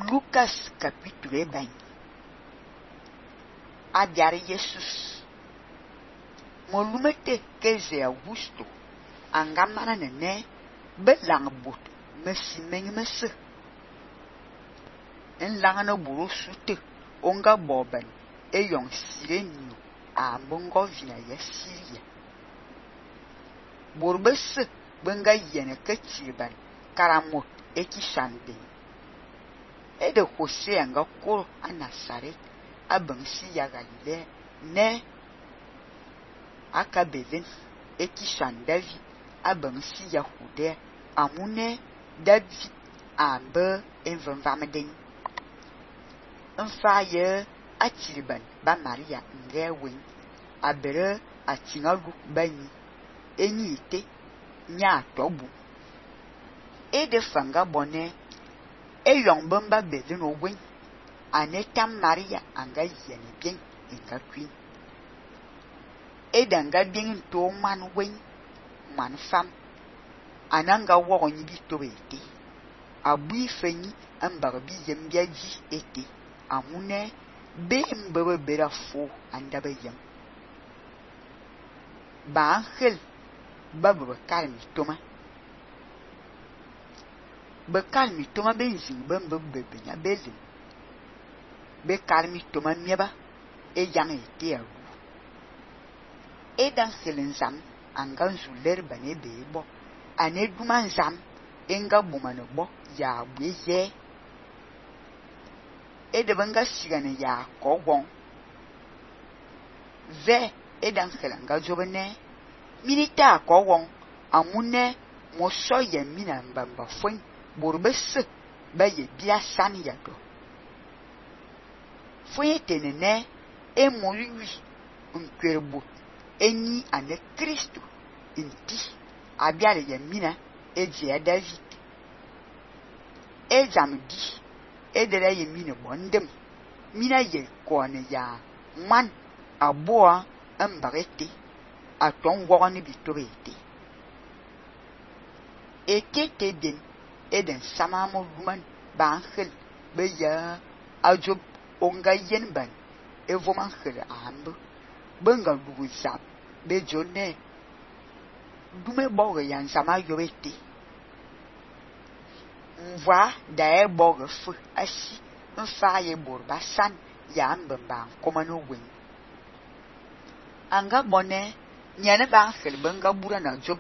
Lucas capítulo 20. Abiar Jesus. Molumete keze Augusto. Angamana nene belang bot mesi mengmese. En langana buru sute onga boben e yon sirenio a mbongo vina ya Syria. Borbese benga yene ketiban karamot ekishande. E de Jose anga koro a Nazaret a bensi ya Galilea ne aka Belen ekishandavi a bensi ya Judea amune David ambe envanvameden. Enfaye atiliban ba Maria ngewen abere atingalu bani enyi ite nya tobu e de fanga bone e yon bamba Belen owen anetam Maria anga yene bien enga queen e danga bien to man wen man fam ananga wo nyi bi to ete abui fenyi ambar bi yembia ji ete amune be mbebe bera fo andaba yam ba angel babu kalmi toma be kalmi toma benzin bembe benya belin be kalmi toma mieba e yang ete awu e dan selen zam angan zuler bane bebo ane duman zam enga bumane bo ya bweze e de banga sigane ya kogwon ve e dan selen ga jobene milita kogwon amune moso ye mina mbamba fon borbese ba ye bia san ya do fon tenene e moyui nkwerbo enyi ane Kristo inti abiare ye mina eje David ejamdi edere ye mina bondem mina ye kone ya man aboa ambarete aton wogoni bitorete etete den eden samamo luman bangel be ya ajob onga yenban evoman khele ambu benga dugu zap be jone dume boge yan sama yobete mva da e boge fu asi mfa ye borba san ya mbamba komano wen anga bone nyane ba khel benga bura na job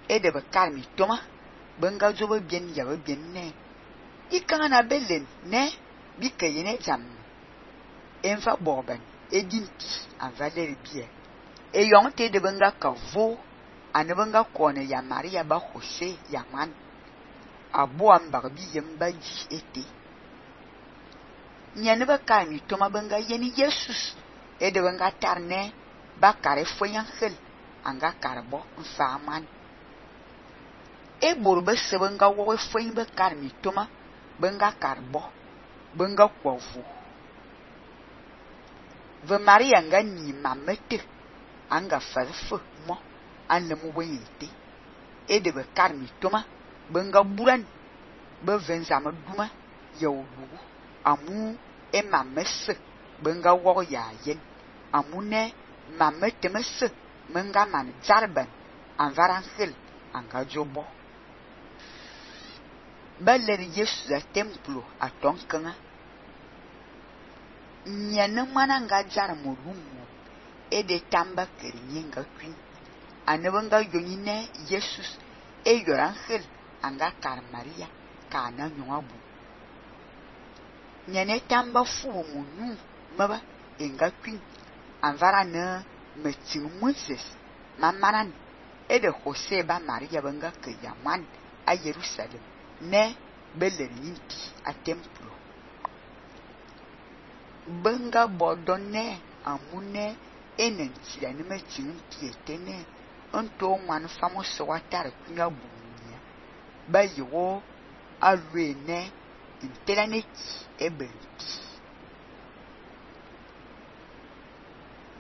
e de be kalmi toma benga job bien ya bien ne ikana Belen ne bi kayene jam enfa boben edinti an valer bie e yonte de benga kavo ane benga kone ya Maria ba Jose ya man abo ambar bi yemba ji ete nyane ba kalmi toma benga yeni Jesus e de benga tarne ba kare foyan khel anga karbo mfaman e borbe se benga wo foyin ba kalmi toma benga karbo benga kwovu ve Maria nga ni mamete anga farfo mo anemu weyete e de be kalmi toma benga buran be venzama duma yawdu amu e mamese benga wo ya yen amune mamete mese menga man zarban anvarankhel anga jobo baler Yesu da templo atonkanga nyane mana nga jar morumo e de tamba kerinye nga kwin anebenga yonyine Jesus e yorankhel anga kar Maria kana nywabu nyane tamba fu munu maba enga kwin anvara na metin Moses mamaran e de Jose ba Maria benga ke yaman a Jerusalem ne beler yinti a templo benga bodone amune enenti ya nime tinti etene onto man famos watar kunya bunya ba yiwo alwene interaneti ebenti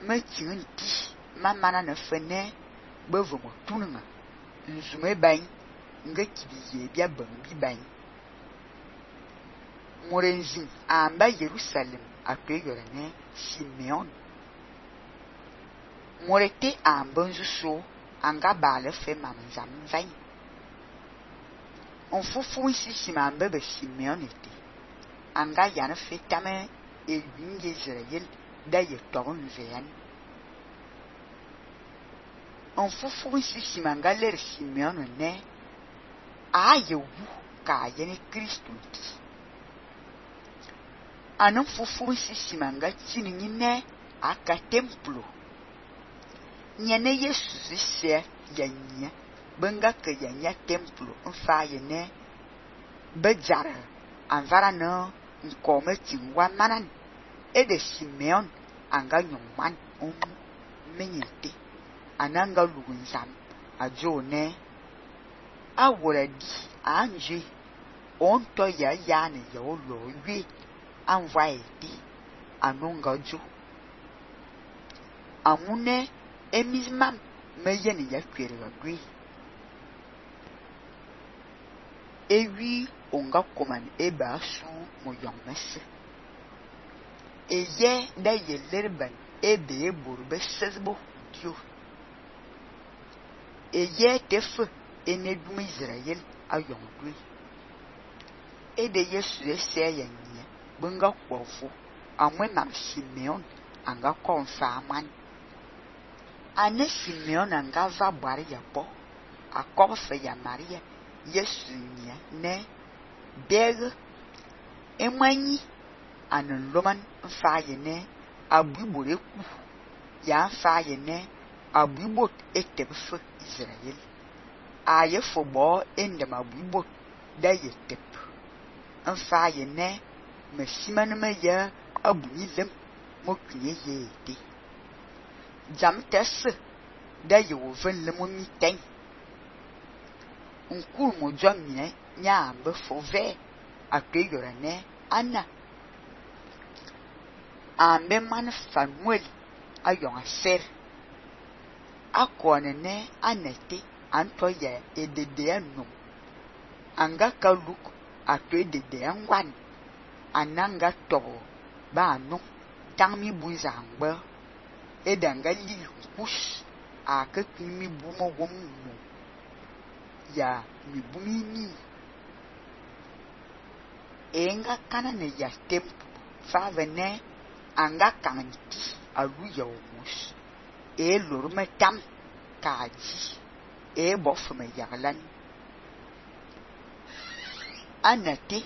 metinti mamana na fene bevomo tununga nzume bain nga kibiye bia bambi bain Morenzin amba Jerusalem atweyorane Simeon. Morete ambonzu so anga bale fe mamzam vain. On fufu si simambe be Simeon ete. Anga yana fe tame e yunge Israel da ye togun veyan. On fufu si simanga ler Simeon ne a ye wu ka yene Kristo ti. Anon fufu si simanga tini ne aka templo. Nyene Yesu se yanya benga ke yanya templo mfa yene bejara anvara no nkome tingwa manan e de Simeon anga nyuman menyete ananga lugunzam ajone aworadi anje onto ya yani ya olo wi anvaiti anonga jo amune emismam meyeni ya kwere gwi ewi onga koman eba su mo yomese eye da yelerban ebe burbe sezbo dio eye tefe enedum Israel ayongwi ede Yesu eseyanya bunga kwofo amwe mam Simeon anga konfa aman ane Simeon anga va bwari ya po akofe ya Maria Yesu nya ne beg emanyi anan loman mfa yene abubore ku ya mfa yene abubot etebfe Israel aye fobo endem abubot da yetep mfa yene mesiman me ya abuyilem mokunye yete jam tesse da yewoven le momi ten unkur mo jomine nya be fove akweyorane Anna ambe man Samuel ayon ser akonene anete antoye edede anu anga kaluk atwe dede angwan ananga tobo ba anu tangmi buzangba edanga li kush akakimi bumo gomu ya mi bumini enga kana ne ya tempo favene anga kanti alu ya omus e lorme tam kaji e bofme yaglan anate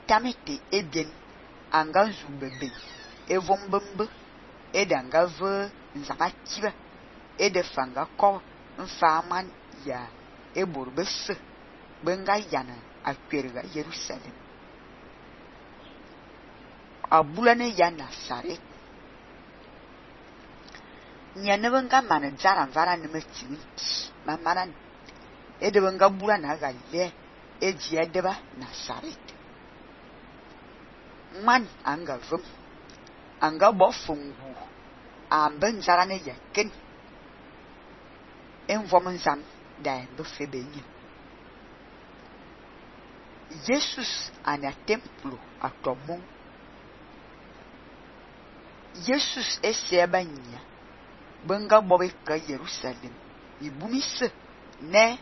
tamete eben anga zubebe e vombembe e danga ve nzamakiba e de fanga ko mfaman ya e borbese benga yana akwerga Jerusalem abulane ya Nazaret nyane benga mana jara vara ne metinti mamanan e de benga bulana galle e jia deba Nazaret man anga vum anga bofungu amben jara ne yaken envomanzam da ndo febenye Jesus ana templo atomo Jesus esebanya benga bobe ka Jerusalem ibumise ne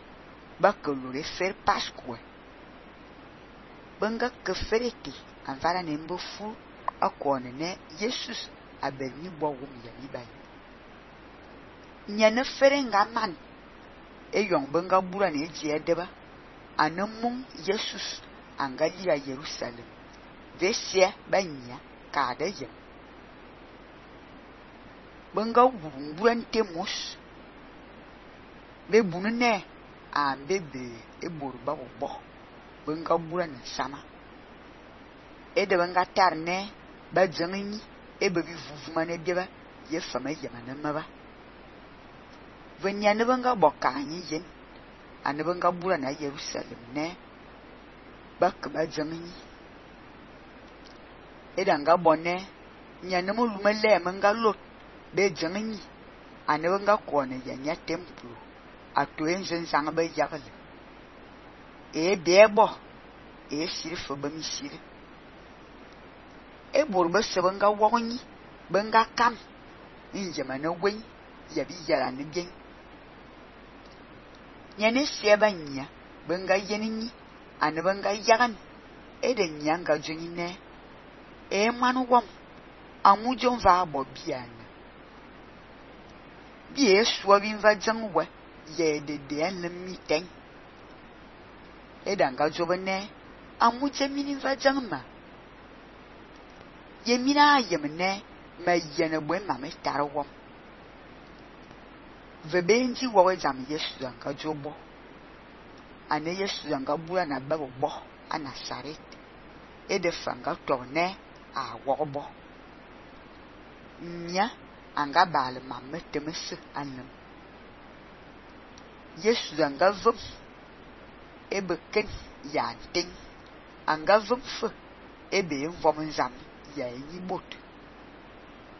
bakolore fer Pascua benga ke fereti anvara ne mbofu akone ne Jesus abeni bogum ya mibai nyane ferenga man eyong benga bura ne je deba anamung Jesus angali ya Jerusalem vesia banya kadeje benga buran temos be bunne ambebe eborba obo benga buran sama ede benga tarne ba jangani ebebi vuvumane deba ye fama yamana maba venya ne benga bokanyi yen ane benga bura na Jerusalem ne bak ba jangani edanga bonne nyane mo lumele menga lot be jangani ane benga kone yanya templo atoenzen zanga be yakale e debo e sirfo ba misire e bor be se benga wognyi benga kam njema na gwen ya bi yara ne bien nyane sie banya benga yeninyi ane benga yagan e de nyanga junine e manu wom amujon va bo biana bi e so bi va jangwe ye de enlemi ten e danga jobene amuje mini va jangma ye mina yemne ma yene bwe ma me tarwo vebenji wo jam Yesu anga jobo ane Yesu anga bua na ba bo ana saret e de fanga torne a wobo nya anga bal ma metemese anam Yesu anga vum e beken ya ting anga vum fe e be vom nzam ya yi bot